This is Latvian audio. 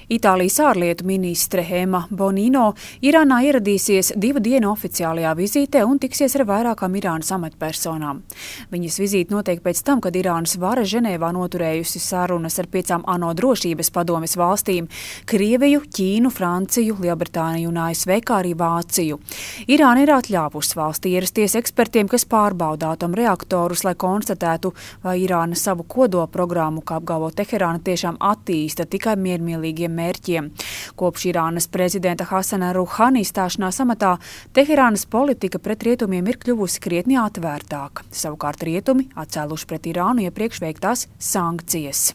Itālijas ārlietu ministre Ema Bonino Irānā ieradīsies 2 dienu oficiālajā vizītē un tiksies ar vairākām Irānas amatpersonām. Viņas vizīte notiek pēc tam, kad Irānas vara Ženēvā noturējusi sarunas ar 5 ANO drošības padomes valstīm – Krieviju, Ķīnu, Franciju, Lielbritāniju un ASV, kā arī Vāciju. Irāna ir atļāvusi valstī ierasties ekspertiem, kas pārbauda atomreaktorus, lai konstatētu, vai Irāna savu kodolprogrammu, kā apgalvo Teherāna, tiešām attīsta tikai miermīlīgiem mērķiem. Kopš Irānas prezidenta Hasana Ruhani stāšanās amatā Teherānas politika pret rietumiem ir kļuvusi krietni atvērtāka. Savukārt rietumi atcēluši pret Irānu iepriekš veiktās sankcijas.